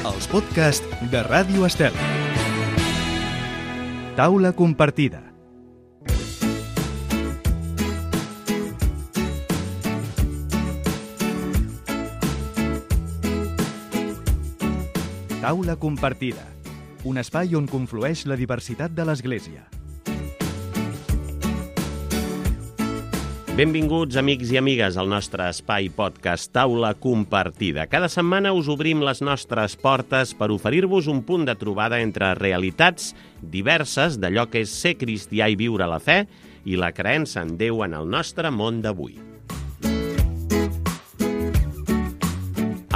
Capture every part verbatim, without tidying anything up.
Els podcasts de Ràdio Estel. Taula compartida. Taula compartida. Un espai on conflueix la diversitat de l'Església. Benvinguts, amics i amigues, al nostre espai podcast Taula Compartida. Cada setmana us obrim les nostres portes per oferir-vos un punt de trobada entre realitats diverses d'allò que és ser cristià i viure la fe i la creença en Déu en el nostre món d'avui.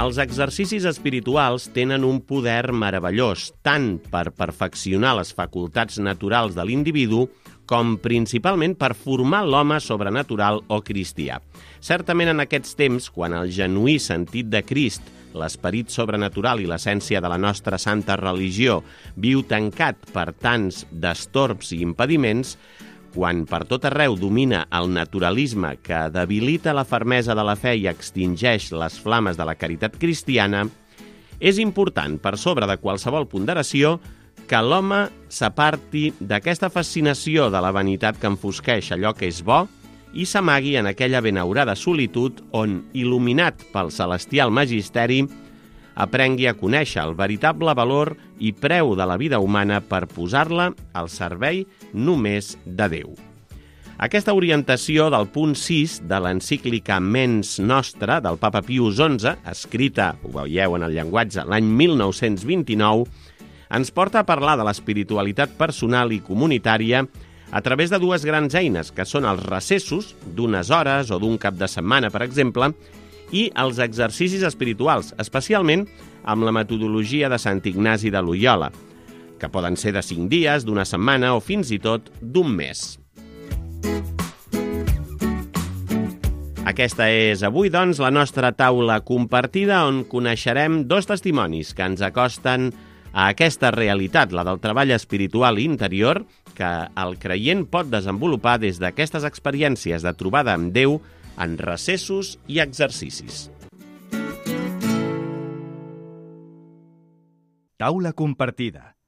Els exercicis espirituals tenen un poder meravellós, tant per perfeccionar les facultats naturals de l'individu com principalment per formar l'home sobrenatural o cristià. Certament en aquests temps, quan el genuí sentit de Crist, l'esperit sobrenatural i l'essència de la nostra santa religió viu tancat per tants destorbs i impediments, quan per tot arreu domina el naturalisme que debilita la fermesa de la fe i extingeix les flames de la caritat cristiana, és important, per sobre de qualsevol ponderació, que l'home s'aparti d'aquesta fascinació de la vanitat que enfosqueix allò que és bo i s'amagui en aquella benaurada solitud on, il·luminat pel celestial magisteri, aprengui a conèixer el veritable valor i preu de la vida humana per posar-la al servei només de Déu. Aquesta orientació del punt sis de l'encíclica Mens Nostra del papa Pius onze, escrita, ho veieu en el llenguatge, l'any mil nou-cents vint-i-nou, ens porta a parlar de l'espiritualitat personal i comunitària a través de dues grans eines, que són els recessos, d'unes hores o d'un cap de setmana, per exemple, i els exercicis espirituals, especialment amb la metodologia de Sant Ignasi de Loiola, que poden ser de cinc dies, d'una setmana o fins i tot d'un mes. Aquesta és avui, doncs, la nostra taula compartida on coneixerem dos testimonis que ens acosten a aquesta realitat, la del treball espiritual interior, que el creient pot desenvolupar des d'aquestes experiències de trobada amb Déu en recessos i exercicis. Taula compartida.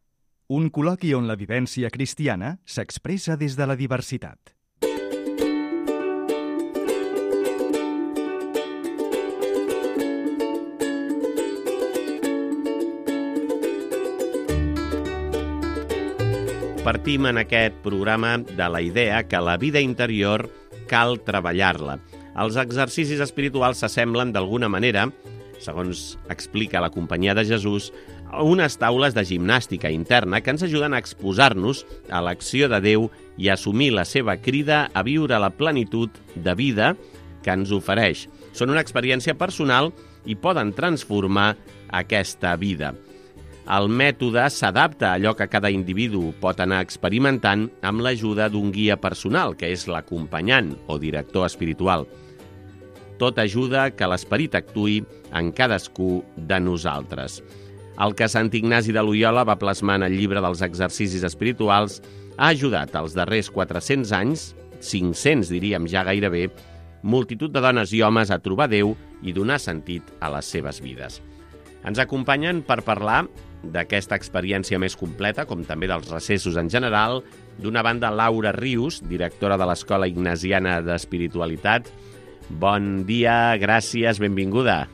Un col·loqui on la vivència cristiana s'expressa des de la diversitat. Partim en aquest programa de la idea que la vida interior cal treballar-la. Els exercicis espirituals s'assemblen d'alguna manera, segons explica la Companyia de Jesús, a unes taules de gimnàstica interna que ens ajuden a exposar-nos a l'acció de Déu i a assumir la seva crida a viure la plenitud de vida que ens ofereix. Són una experiència personal i poden transformar aquesta vida. El mètode s'adapta a allò que cada individu pot anar experimentant amb l'ajuda d'un guia personal, que és l'acompanyant o director espiritual. Tot ajuda que l'esperit actuï en cadascú de nosaltres. El que Sant Ignasi de Loiola va plasmar en el llibre dels exercicis espirituals ha ajudat als darrers quatre-cents anys, cinc-cents diríem ja gairebé, multitud de dones i homes a trobar Déu i donar sentit a les seves vides. Ens acompanyen per parlar d'aquesta experiència més completa, com també dels recessos en general, d'una banda Laura Rius, directora de l'Escola Ignasiana d'Espiritualitat. Bon dia, gràcies, benvinguda.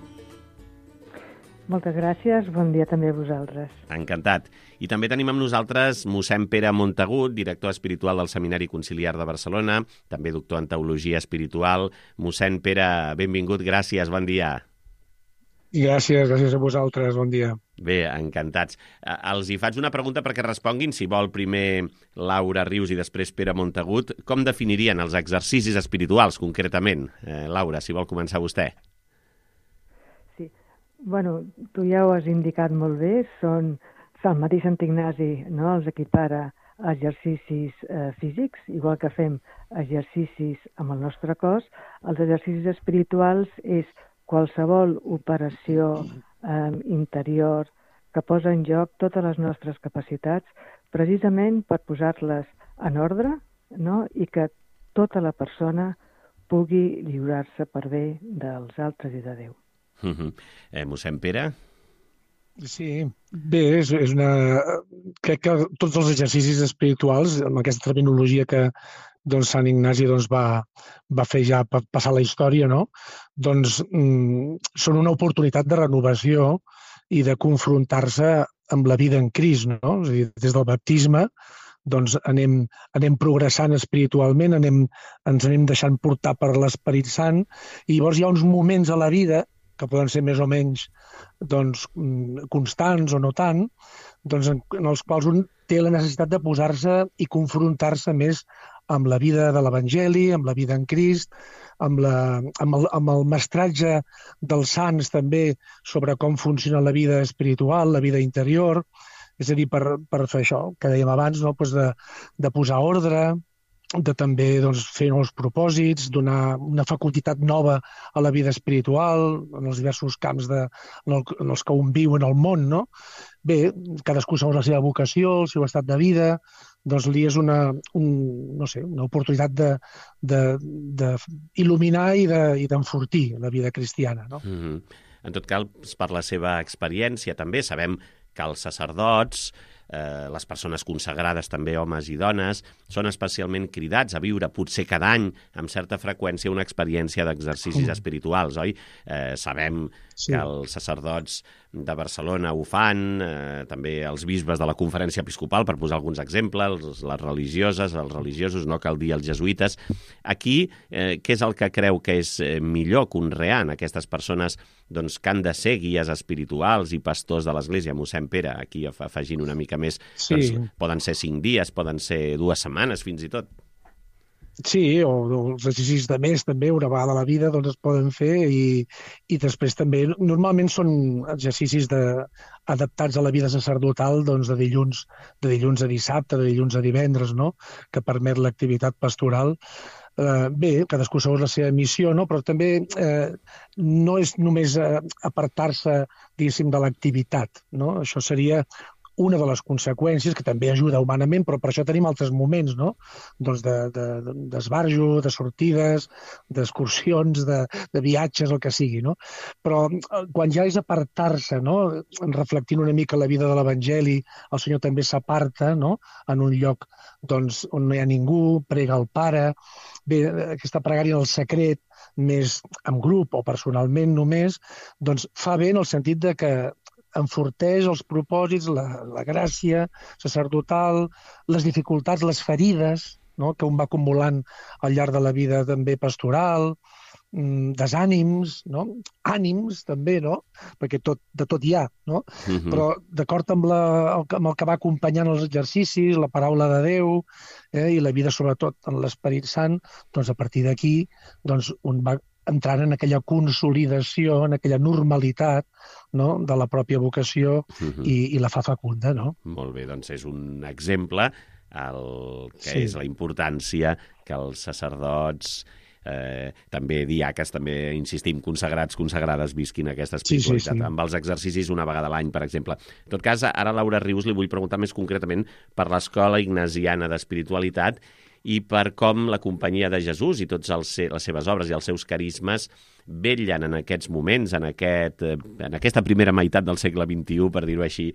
Moltes gràcies, bon dia també a vosaltres. Encantat. I també tenim amb nosaltres mossèn Pere Montagut, director espiritual del Seminari Conciliar de Barcelona, també doctor en Teologia Espiritual. Mossèn Pere, benvingut, gràcies, bon dia. I gràcies, gràcies a vosaltres, bon dia. Bé, encantats. Els hi faig una pregunta perquè responguin, si vol, primer Laura Rius i després Pere Montagut. Com definirien els exercicis espirituals, concretament? Eh, Laura, si vol començar vostè. Sí, bueno, tu ja ho has indicat molt bé, són el mateix Sant Ignasi, no?, els equipara a exercicis eh, físics, igual que fem exercicis amb el nostre cos. Els exercicis espirituals és qualsevol operació eh, interior que posa en joc totes les nostres capacitats precisament per posar-les en ordre, no?, i que tota la persona pugui lliurar-se per bé dels altres i de Déu. Uh-huh. eh, mossèn Pere? Sí, bé, és, és una... Crec que tots els exercicis espirituals, amb aquesta terminologia que doncs, Sant Ignasi doncs, va, va fer ja pa- passar la història, no? Doncs mm, són una oportunitat de renovació i de confrontar-se amb la vida en Crist, no? És a dir, des del baptisme doncs anem, anem progressant espiritualment, anem, ens anem deixant portar per l'Esperit Sant, i llavors hi ha uns moments a la vida que poden ser més o menys doncs, mm, constants o no tant, doncs, en, en els quals un té la necessitat de posar-se i confrontar-se més amb la vida de l'Evangeli, amb la vida en Crist, amb, la, amb, el, amb el mestratge dels sants també sobre com funciona la vida espiritual, la vida interior, és a dir, per, per fer això que dèiem abans, no? Pues de, de posar ordre, de també doncs, fer nous propòsits, donar una facultat nova a la vida espiritual, en els diversos camps de, en, el, en els que un viu en el món, no? Bé, cadascú segons la seva vocació, el seu estat de vida, doncs li és una, un, no sé, una oportunitat de, de, de il·luminar i de, i d'enfortir la vida cristiana, no? Mm-hmm. En tot cas, per la seva experiència també sabem que els sacerdots, eh, les persones consagrades també, homes i dones, són especialment cridats a viure potser cada any amb certa freqüència una experiència d'exercicis Mm. espirituals, oi? Eh, sabem Sí. que els sacerdots de Barcelona ho fan, eh, també els bisbes de la Conferència Episcopal, per posar alguns exemples, les religioses, els religiosos, no cal dir els jesuïtes. Aquí, eh, què és el que creu que és eh, millor conrear en aquestes persones doncs, que han de ser guies espirituals i pastors de l'Església? Mossèn Pere, aquí af- afegint una mica més, Sí. doncs, poden ser cinc dies, poden ser dues setmanes fins i tot. Sí, o, o els exercicis de mes també, una vegada a la vida, doncs es poden fer i, i després també, normalment són exercicis de, adaptats a la vida sacerdotal doncs de dilluns, de dilluns a dissabte, de dilluns a divendres, no? Que permet l'activitat pastoral. Eh, bé, cadascú segons la seva missió, no? Però també eh, no és només eh, apartar-se, diguéssim, de l'activitat, no? Això seria una de les conseqüències, que també ajuda humanament, però per això tenim altres moments, no? Doncs de, de, d'esbarjo, de sortides, d'excursions, de, de viatges, el que sigui, no? Però eh, quan ja és apartar-se, no? Reflectint una mica la vida de l'Evangeli, el Senyor també s'aparta, no? En un lloc doncs, on no hi ha ningú, prega al Pare. Bé, aquesta pregària en el secret, més en grup o personalment només, doncs fa bé en el sentit de que enforteix els propòsits, la, la gràcia sacerdotal, les dificultats, les ferides, no? Que un va acumulant al llarg de la vida també pastoral, desànims, no? Ànims també, no? Perquè tot, de tot hi ha, no? Mm-hmm. Però d'acord amb, la, amb el que va acompanyant els exercicis, la paraula de Déu eh, i la vida sobretot en l'Esperit Sant, doncs a partir d'aquí doncs un va entrant en aquella consolidació, en aquella normalitat, no? De la pròpia vocació Mm-hmm. i, i la fa fecunda, no? Molt bé, doncs és un exemple el que Sí. és la importància que els sacerdots, eh, també diaques, també insistim, consagrats, consagrades, visquin aquesta espiritualitat Sí, sí, sí. amb els exercicis una vegada a l'any, per exemple. En tot cas, ara Laura Rius li vull preguntar més concretament per l'Escola Ignasiana d'Espiritualitat i per com la Companyia de Jesús i totes els, les seves obres i els seus carismes vetllen en aquests moments, en, aquest, en aquesta primera meitat del segle vint-i-u, per dir-ho així,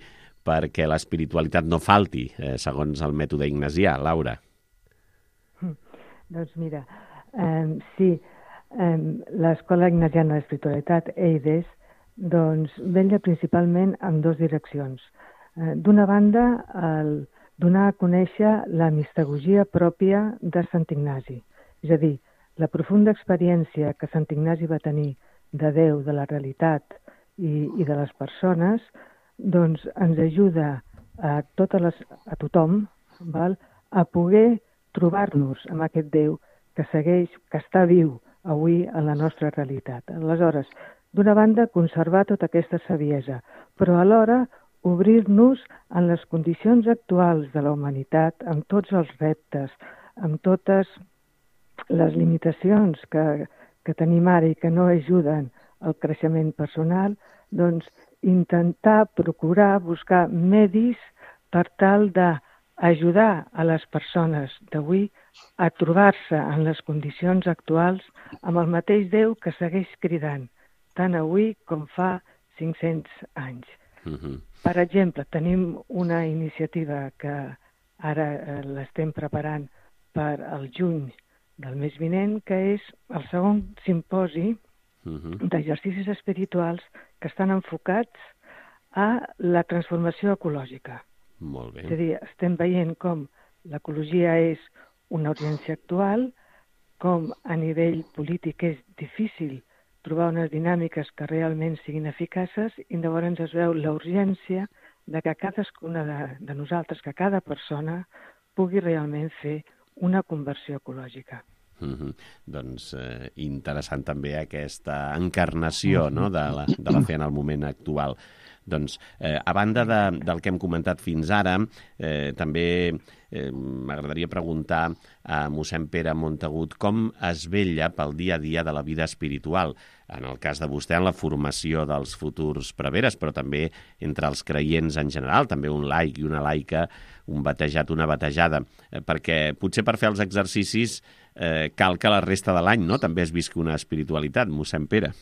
perquè l'espiritualitat no falti, eh, segons el mètode ignasià. Laura. Doncs mira, eh, sí, eh, l'Escola Ignasiana d'Espiritualitat, EIDES, doncs vetlla principalment en dues direccions. Eh, D'una banda, el donar a conèixer la mistagogia pròpia de Sant Ignasi, és a dir, la profunda experiència que Sant Ignasi va tenir de Déu, de la realitat i, i de les persones, doncs ens ajuda a, totes les, a tothom val, a poder trobar-nos amb aquest Déu que segueix, que està viu avui en la nostra realitat. Aleshores, d'una banda, conservar tota aquesta saviesa, però alhora obrir-nos en les condicions actuals de la humanitat, amb tots els reptes, amb totes les limitacions que, que tenim ara i que no ajuden al creixement personal, doncs intentar, procurar, buscar medis per tal d'ajudar a les persones d'avui a trobar-se en les condicions actuals amb el mateix Déu que segueix cridant, tant avui com fa cinc-cents anys. Uh-huh. Per exemple, tenim una iniciativa que ara eh, l'estem preparant per al juny del mes vinent, que és el segon simposi Uh-huh. d'exercicis espirituals que estan enfocats a la transformació ecològica. Molt bé. És a dir, estem veient com l'ecologia és una urgència actual, com a nivell polític és difícil trobar unes dinàmiques que realment siguin eficaces, i llavors es veu la urgència de que cadascuna de, de nosaltres, que cada persona pugui realment fer una conversió ecològica. Uh-huh. Doncs eh, interessant també aquesta encarnació, no?, de la, de la fe en el moment actual. Doncs, eh, a banda de, del que hem comentat fins ara, eh, també eh, m'agradaria preguntar a mossèn Pere Montagut com es vetlla pel dia a dia de la vida espiritual, en el cas de vostè en la formació dels futurs preveres, però també entre els creients en general, també un laic i una laica, un batejat, una batejada, eh, perquè potser per fer els exercicis eh, cal que la resta de l'any, no?, també es visqui una espiritualitat, mossèn Pere.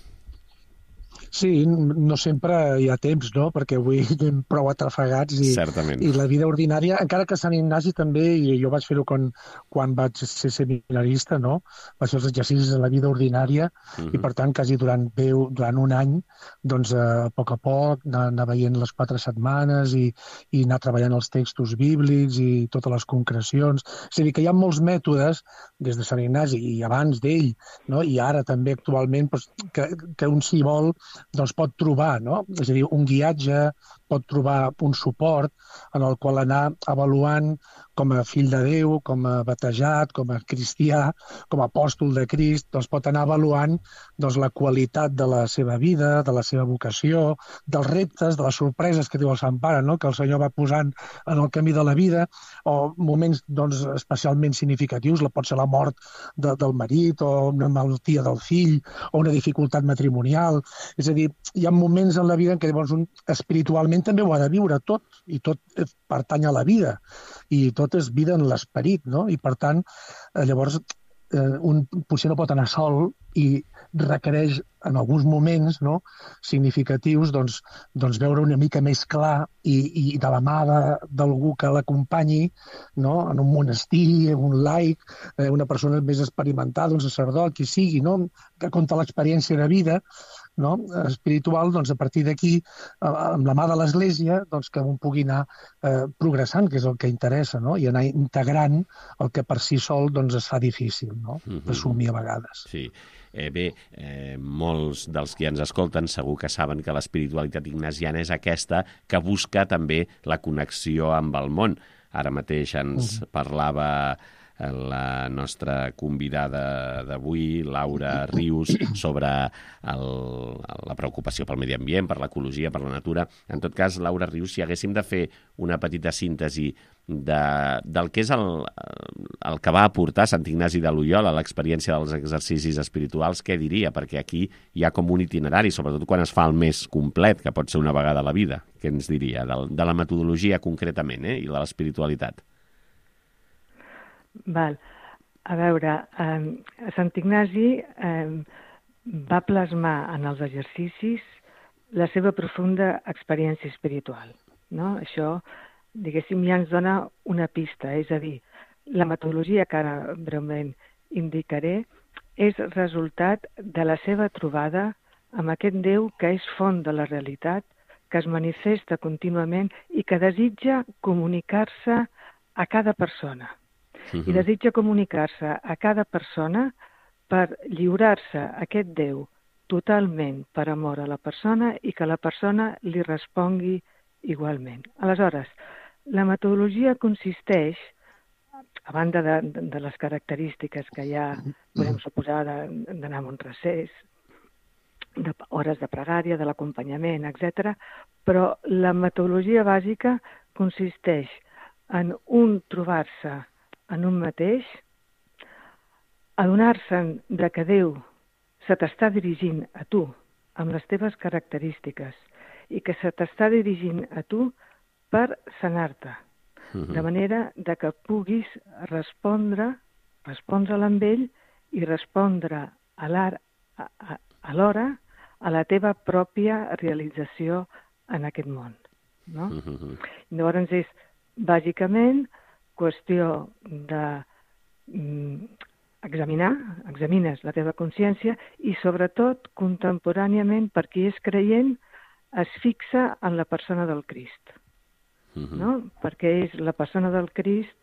Sí, no sempre hi ha temps, no?, perquè avui anem prou atrafegats i, Certament. i la vida ordinària, encara que a Sant Ignasi també, i jo vaig fer-ho quan, quan vaig ser seminarista, no?, vaig fer els exercicis de la vida ordinària, uh-huh. i per tant, quasi durant, durant un any, doncs a poc a poc, anar, anar veient les quatre setmanes i, i anar treballant els textos bíblics i totes les concrecions. És a dir, que hi ha molts mètodes, des de Sant Ignasi i abans d'ell, no?, i ara també actualment, doncs, que, que un s'hi vol doncs pot trobar, no? És a dir, un guiatge, pot trobar un suport en el qual anar avaluant com a fill de Déu, com a batejat, com a cristià, com a apòstol de Crist, doncs pot anar avaluant doncs, la qualitat de la seva vida, de la seva vocació, dels reptes, de les sorpreses que diu el Sant Pare, no?, que el Senyor va posant en el camí de la vida, o moments doncs, especialment significatius, la pot ser la mort de, del marit, o una malaltia del fill, o una dificultat matrimonial. És a dir, hi ha moments en la vida en què llavors un espiritualment també ho ha de viure tot, i tot pertany a la vida, i tot és vida en l'esperit, no? I per tant, llavors, eh, un potser no pot anar sol i requereix en alguns moments, no?, significatius doncs, doncs veure una mica més clar i, i de la mà d'algú que l'acompanyi, no?, en un monestir, un laic, eh, una persona més experimentada, un sacerdot, qui sigui, no?, que conta l'experiència de vida, no?, espiritual, doncs a partir d'aquí, amb la mà de l'Església, doncs que un pugui anar eh, progressant, que és el que interessa, no?, i anar integrant el que per si sol doncs es fa difícil, no?, d'assumir a vegades. Sí. Eh, bé, eh, molts dels que ens escolten segur que saben que l'espiritualitat ignasiana és aquesta que busca també la connexió amb el món. Ara mateix ens uh-huh. parlava la nostra convidada d'avui, Laura Rius, sobre el, la preocupació pel medi ambient, per l'ecologia, per la natura. En tot cas, Laura Rius, si haguéssim de fer una petita síntesi de, del que és el, el que va aportar Sant Ignasi de Loiola a l'experiència dels exercicis espirituals, què diria? Perquè aquí hi ha com un itinerari, sobretot quan es fa el més complet, que pot ser una vegada a la vida. Què ens diria? De, de la metodologia concretament, eh? I de l'espiritualitat. Val. A veure, eh, Sant Ignasi eh, va plasmar en els exercicis la seva profunda experiència espiritual, no? Això, diguéssim, ja ens dona una pista, és a dir, la metodologia que ara breument indicaré és resultat de la seva trobada amb aquest Déu que és font de la realitat, que es manifesta contínuament i que desitja comunicar-se a cada persona. Uh-huh. I desitja comunicar-se a cada persona per lliurar-se a aquest Déu totalment per amor a la persona i que la persona li respongui igualment. Aleshores, la metodologia consisteix, a banda de, de, de les característiques que ja podem suposar d'anar a un recés, de hores de pregària, de l'acompanyament, etcètera, però la metodologia bàsica consisteix en un trobar-se en un mateix, adonar-se'n de que Déu se t'està dirigint a tu amb les teves característiques i que se t'està dirigint a tu per sanar-te, uh-huh. de manera de que puguis respondre, respondre amb ell i respondre a l'hora a la teva pròpia realització en aquest món, no? Uh-huh. Llavors és, bàsicament, qüestió de mm, examinar, examines la teva consciència i, sobretot, contemporàniament, per qui és creient, es fixa en la persona del Crist, uh-huh. no? Perquè és la persona del Crist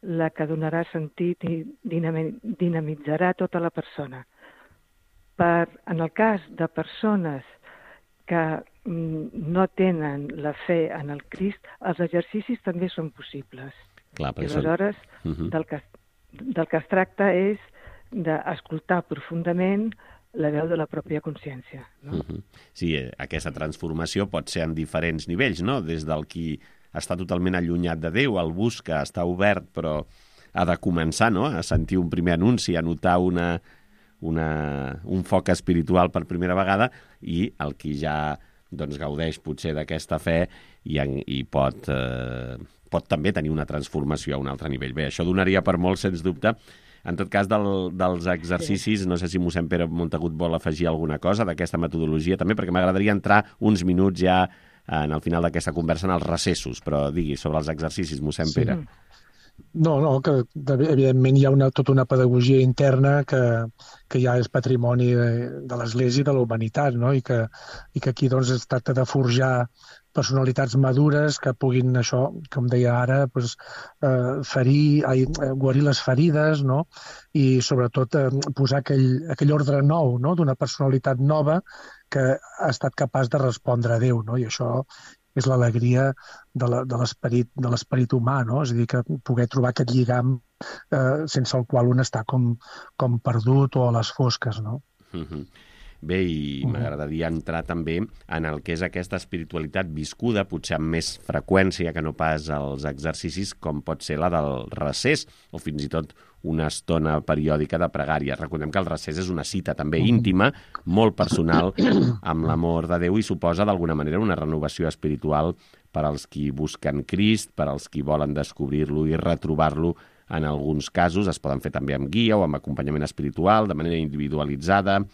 la que donarà sentit i dinamitzarà tota la persona. Per, en el cas de persones que no tenen la fe en el Crist, els exercicis també són possibles. Clar, I aleshores són... uh-huh. del, que, del que es tracta és d'escoltar profundament la veu de la pròpia consciència. No? Uh-huh. Sí, aquesta transformació pot ser en diferents nivells, no? Des del qui està totalment allunyat de Déu, el busca, està obert, però ha de començar, no?, a sentir un primer anunci, a notar una, una, un foc espiritual per primera vegada, i el qui ja doncs, gaudeix potser d'aquesta fe i, en, i pot, eh, pot també tenir una transformació a un altre nivell. Bé, això donaria per molt, sens dubte. En tot cas, del, dels exercicis, no sé si mossèn Pere Montagut vol afegir alguna cosa d'aquesta metodologia també, perquè m'agradaria entrar uns minuts ja en el final d'aquesta conversa en els recessos, però digui, sobre els exercicis, mossèn Pere. Sí. No, no, que evidentment hi ha una, tota una pedagogia interna que, que ja és patrimoni de, de l'Església i de la humanitat, no? I que, i que aquí doncs, es tracta de forjar personalitats madures que puguin, això, com deia ara, doncs, eh, ferir, ai, guarir les ferides, no? I sobretot eh, posar aquell, aquell ordre nou, no? D'una personalitat nova que ha estat capaç de respondre a Déu, no? I això és l'alegria de l'esperit de l'esperit humà, no? És a dir, que poder trobar aquest lligam eh, sense el qual un està com, com perdut o a les fosques, no? Mm-hmm. Bé, i m'agradaria entrar també en el que és aquesta espiritualitat viscuda, potser amb més freqüència que no pas els exercicis, com pot ser la del recés, o fins i tot una estona periòdica de pregària. Recordem que el recés és una cita també íntima, molt personal, amb l'amor de Déu, i suposa d'alguna manera una renovació espiritual per als qui busquen Crist, per als qui volen descobrir-lo i retrobar-lo. En alguns casos es poden fer també amb guia o amb acompanyament espiritual, de manera individualitzada,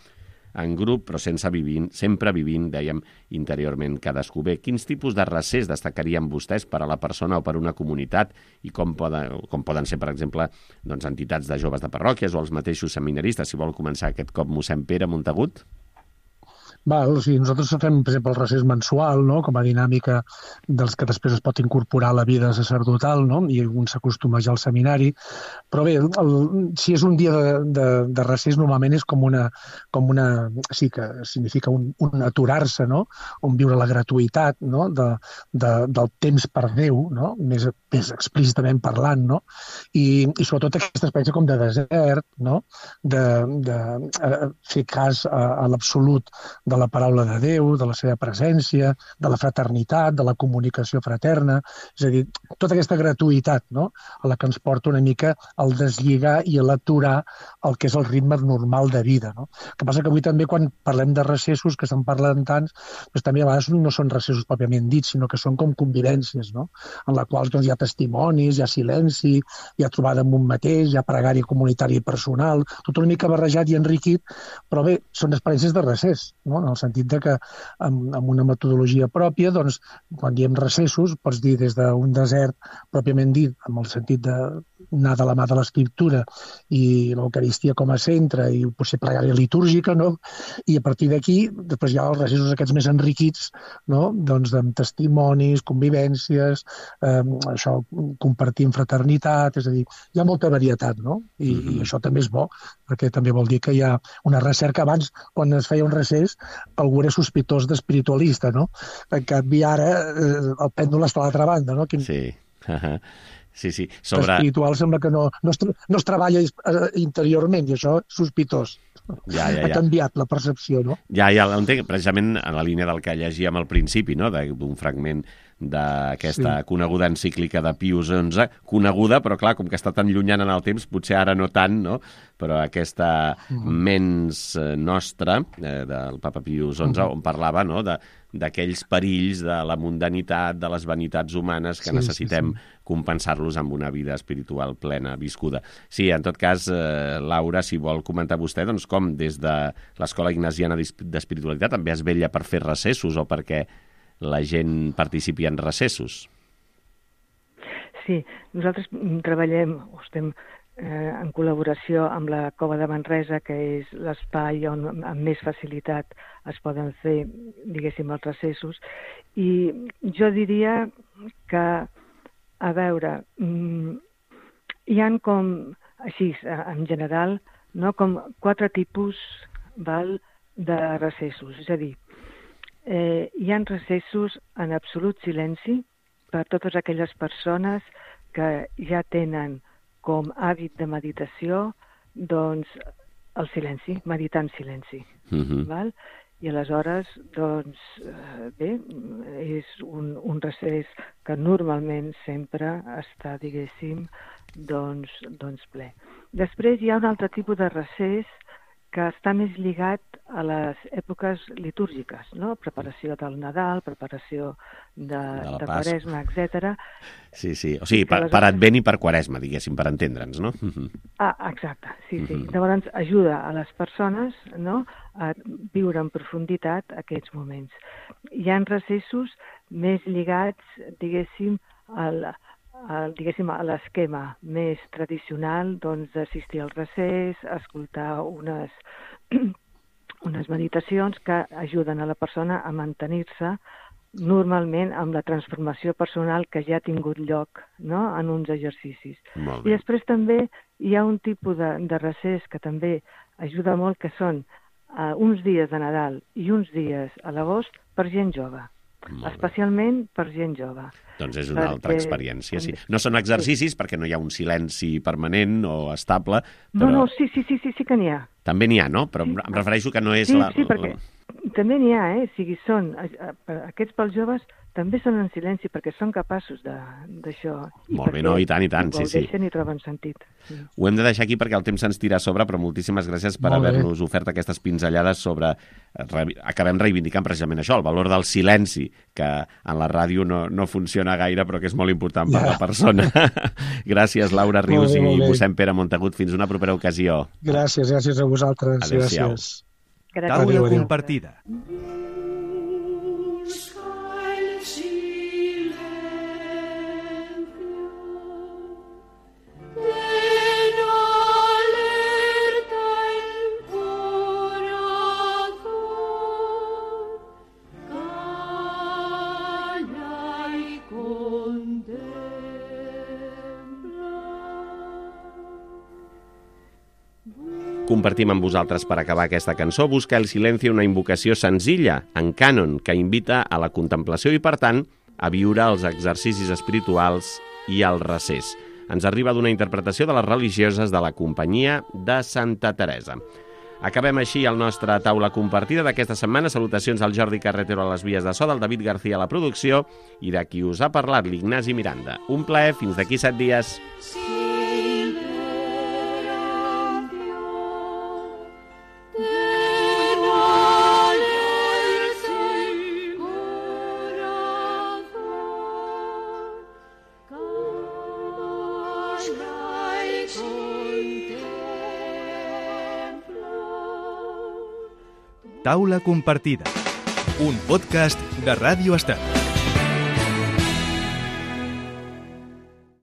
en grup, però sense vivint, sempre vivint, dèiem, interiorment cadascú. Bé, quins tipus de recés destacarien vostès per a la persona o per a una comunitat i com poden, com poden ser, per exemple, doncs, entitats de joves de parròquies o els mateixos seminaristes? Si vol començar aquest cop mossèn Pere Montagut. Val, o sigui, nosaltres fem, per exemple, el recés mensual, no?, com a dinàmica dels que després es pot incorporar a la vida sacerdotal, no?, i un s'acostuma ja al seminari. Però bé, el, si és un dia de, de, de recés, normalment és com una, com una... sí que significa un, un aturar-se, no?, on viure la gratuïtat, no?, de, de, del temps per Déu, no?, més, més explícitament parlant, no?, i, i sobretot aquesta experiència com de desert, no?, de, de, de fer cas a, a l'absolut de la paraula de Déu, de la seva presència, de la fraternitat, de la comunicació fraterna, és a dir, tota aquesta gratuïtat, no?, a la que ens porta una mica al deslligar i a l'aturar el que és el ritme normal de vida, no? El que passa que avui també quan parlem de recessos, que se'n parlen tants, doncs també a vegades no són recessos pròpiament dits, sinó que són com convivències, no?, en la qual doncs, hi ha testimonis, hi ha silenci, hi ha trobada amb un mateix, hi ha pregària comunitària i personal, tot una mica barrejat i enriquit, però bé, són experiències de recés, no?, en el sentit de que amb, amb una metodologia pròpia, doncs, quan diem recessos, pots dir des d'un desert pròpiament dit, amb el sentit d'anar de la mà de l'escriptura i l'Eucaristia com a centre i potser pregària litúrgica, no?, i a partir d'aquí, després hi ha els recessos aquests més enriquits, no?, doncs amb testimonis, convivències, eh, això, compartir en fraternitat, és a dir, hi ha molta varietat, no?, I, mm-hmm. i això també és bo, perquè també vol dir que hi ha una recerca. Abans, quan es feia un recés, algú era sospitós d'espiritualista, no? En canvi, ara eh, el pèndol està a l'altra banda, no? Quin... Sí, sí, sí. Sobre... L'espiritual sembla que no, no, es, no es treballa interiorment, i això és sospitós. Ja, ja, ja. Ha canviat la percepció, no? Ja, ja l'entenc, precisament en la línia del que llegíem al principi, no?, d'un fragment d'aquesta sí. coneguda encíclica de Pius onze, coneguda, però clar, com que està tan llunyana en el temps, potser ara no tant, no?, però aquesta mm. mens nostra eh, del papa Pius onze, mm. on parlava, no?, de d'aquells perills de la mundanitat, de les vanitats humanes que sí, necessitem sí, sí. compensar-los amb una vida espiritual plena, viscuda. Sí, en tot cas, eh, Laura, si vol comentar vostè, doncs com des de l'Escola Ignasiana d'Espiritualitat també es vetlla per fer recessos o perquè la gent participi en recessos? Sí, nosaltres treballem, o estem eh, en col·laboració amb la Cova de Manresa, que és l'espai on amb més facilitat es poden fer, diguéssim, els recessos. I jo diria que, a veure, hi han com, així, en general, no, com quatre tipus, val, de recessos. És a dir, eh, hi han recessos en absolut silenci per totes aquelles persones que ja tenen com hàbit de meditació, doncs, el silenci, meditar en silenci. Uh-huh. Val? I aleshores, doncs, bé, és un, un recés que normalment sempre està, diguéssim, doncs, doncs ple. Després hi ha un altre tipus de recés que està més lligat a les èpoques litúrgiques, no? Preparació del Nadal, preparació de, de, de Quaresma, etcètera. Sí, sí. O sigui, per, per Advent i per Quaresma, diguéssim, per entendre'ns, no? Ah, exacte, sí, sí. Uh-huh. Llavors ajuda a les persones, no?, a viure en profunditat aquests moments. Hi ha recessos més lligats, diguéssim, al El, diguéssim, a l'esquema més tradicional, doncs, d'assistir al recés, escoltar unes, unes meditacions que ajuden a la persona a mantenir-se normalment amb la transformació personal que ja ha tingut lloc, no?, en uns exercicis. I després també hi ha un tipus de, de recés que també ajuda molt, que són uh, uns dies de Nadal i uns dies a l'agost per gent jove. Especialment per gent jove. Doncs és una perquè... altra experiència, sí. No són exercicis, sí, perquè no hi ha un silenci permanent o estable, però... No, no, sí, sí, sí, sí, sí que n'hi ha. També n'hi ha, no? Però sí. Em refereixo que no és sí, la... Sí, perquè la... també n'hi ha, eh? O sigui, són... Aquests pels joves també són en silenci perquè són capaços d'això. Molt bé, no, i tant, i tant, sí, sí. Ho deixen i troben sentit. Sí. Ho hem de deixar aquí perquè el temps se'ns tira a sobre, però moltíssimes gràcies per haver-nos ofert aquestes pinzellades sobre... Acabem reivindicant precisament això, el valor del silenci, que en la ràdio no, no funciona gaire, però que és molt important per ja. la persona. Gràcies, Laura Rius bé, i mossèn Pere Montagut. Fins una propera ocasió. Gràcies, gràcies a vosaltres. Adéu-siau. Gràcies. Taula compartida. Compartim amb vosaltres per acabar aquesta cançó Busca el silencio, una invocació senzilla, en cànon, que invita a la contemplació i, per tant, a viure els exercicis espirituals i el recés. Ens arriba d'una interpretació de les religioses de la Companyia de Santa Teresa. Acabem així el nostre taula compartida d'aquesta setmana. Salutacions al Jordi Carretero a les vies de so, del David García a la producció i de qui us ha parlat, l'Ignasi Miranda. Un plaer, fins d'aquí set dies. Taula compartida, un podcast de Ràdio Estat.